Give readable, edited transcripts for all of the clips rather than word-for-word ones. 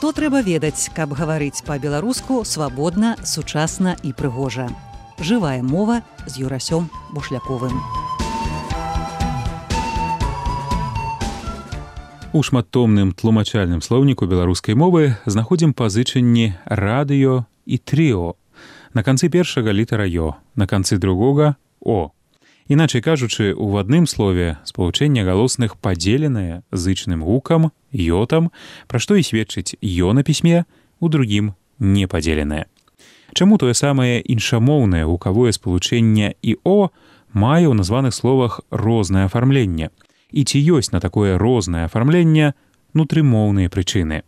Што трэба ведаць, каб гаварыць па-беларуску свабодна, сучасна і прыгожа. Жывая мова з Юрасём Бушляковым. У шматтомным тлумачальным слоўніку беларускай мовы знаходзім пазычанні радыё і трыо. На канцы першага літара «ё», на канцы другога «о». Іначай кажучы, у адным слове спалучэнне галосных падзеленае зычным гукам, «ётам», пра што і сведчыць «ё» на пісьме, у другім непадзеленае. Чаму тое самае іншамоўнае гукавое спалучэнне і «о» мае ў названых словах рознае афармленне? І ці ёсць на такое рознае афармленне нутрымоўныя прычыны?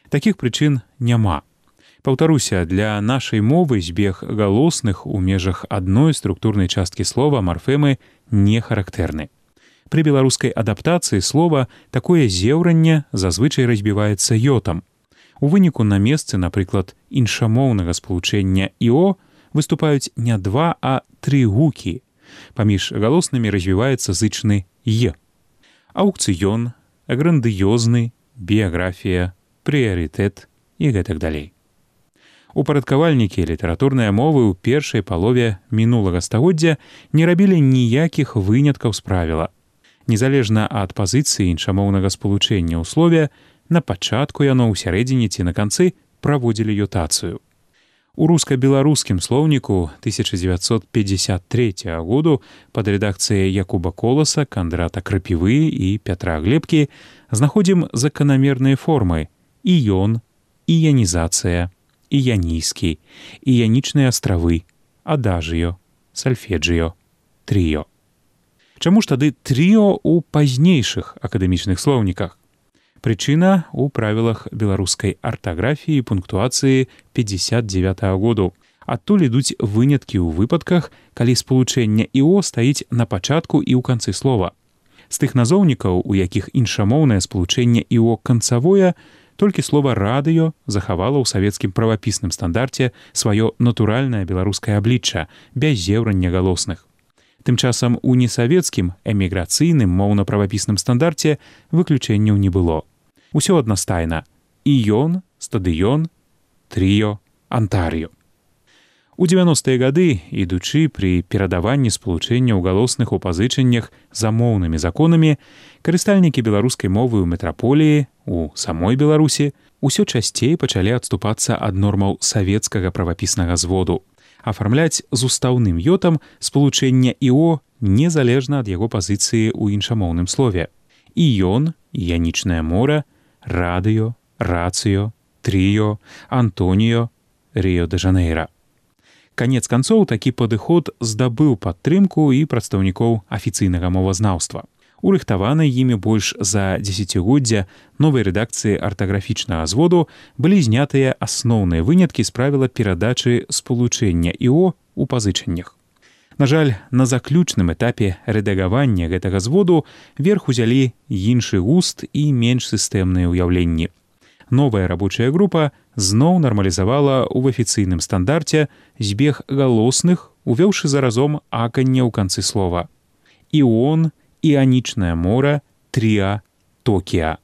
Такіх прычын няма. Паўтаруся, для нашай мовы збег галосных у межах адной структурнай часткі слова марфемы не характэрны. Пры беларускай адаптацыі слова такое зеўранне зазвычай разбіваецца ётам. У выніку на месцы, напрыклад, іншамоўнага спалучэння «іо» выступаюць не два, а тры гукі. Паміж галоснымі развіваецца зычны «е». Аукцыён, грандыёзны, біяграфія, прыярытэт і гэтак далей. Упарадкавальнікі літаратурнай мовы ў першай палове мінулага стагоддзя не рабілі ніякіх выняткаў з правіла. Незалежна ад пазіцыі іншамоўнага спалучэння ў слове, на пачатку яно ў сярэдзіне ці на канцы праводзілі ютацыю. У руска-беларускім слоўніку 1953 году пад рэдакцыяй Якуба Коласа, Кандрата Крапівы і Пятра Глебкі знаходзім заканамерныя формы «іён», «іянізацыя», «іянійскі», «іянічныя астравы», «адажыё», «сальфеджыё», «трыё». Чаму ж тады трыо ў пазнейшых акадэмічных слоўніках? Прычына ў правілах беларускай артаграфіі і пунктуацыі 59 году. Адтуль ідуць выняткі ў выпадках, калі спалучэнне «іо» стаіць на пачатку і ў канцы слова. З тых назоўнікаў, у якіх іншамоўнае спалучэнне «іо» канцавое, толькі слова «радыё» захавала ў савецкім правапісным стандарце сваё натуральнае беларускае аблічча, без зеўрання галосных. Тым часам у несавецкім эміграцыйным моўна-правапісным стандарце выключэнняў не было. Усё аднастайна – «іён», «стадыён», «трыё», «антарыё». У 90-е гады, ідучы пры перадаванні спалучэнняў галосных у пазычаннях за моўнымі законамі, карыстальнікі беларускай мовы ў метраполіі, у самой Беларусі, усё часцей пачалі адступацца ад нормаў савецкага правапіснага зводу, афармляць з устаўным ётам спалучэнне «іо» незалежна ад яго пазіцыі ў іншамоўным слове. «Іён», «іянічнае мора», «радыё», «рацыё», «трыё», «антоніё», «рыё-дэ-жанэйра». Канец канцоў такі падыход здабыў падтрымку і прадстаўнікоў афіцыйнага мовазнаўства. У рыхтаванай імі больш за дзесяцігоддзя новай рэдакцыі артаграфічнага зводу былі знятыя асноўныя выняткі з правіла перадачы спалучэння «іо» у пазычаннях. На жаль, на заключным этапе рэдагавання гэтага зводу верх узялі іншы густ і менш сістэмныя ўяўленні. Новая рабочая група зноў нармалізавала ў афіцыйным стандарце збег галосных, увёўшы заразом аканне ў канцы слова. «Іон», «іанічнае мора», «трыа», «токіа».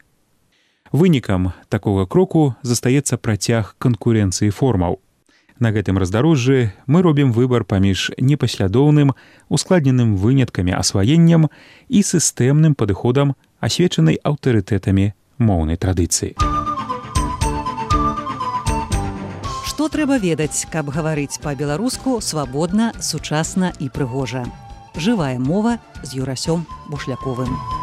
Вынікам такога кроку застаецца працяг канкурэнцыі формаў. На гэтым раздарожжы мы робім выбар паміж непаслядоўным, ускладненым выняткамі асваеннем і сістэмным падыходам, асвечанай аўтарытэтамі моўнай традыцыі. Што трэба ведаць, каб гаварыць па-беларуску свабодна, сучасна і прыгожа. Жывая мова з Юрасём Бушляковым.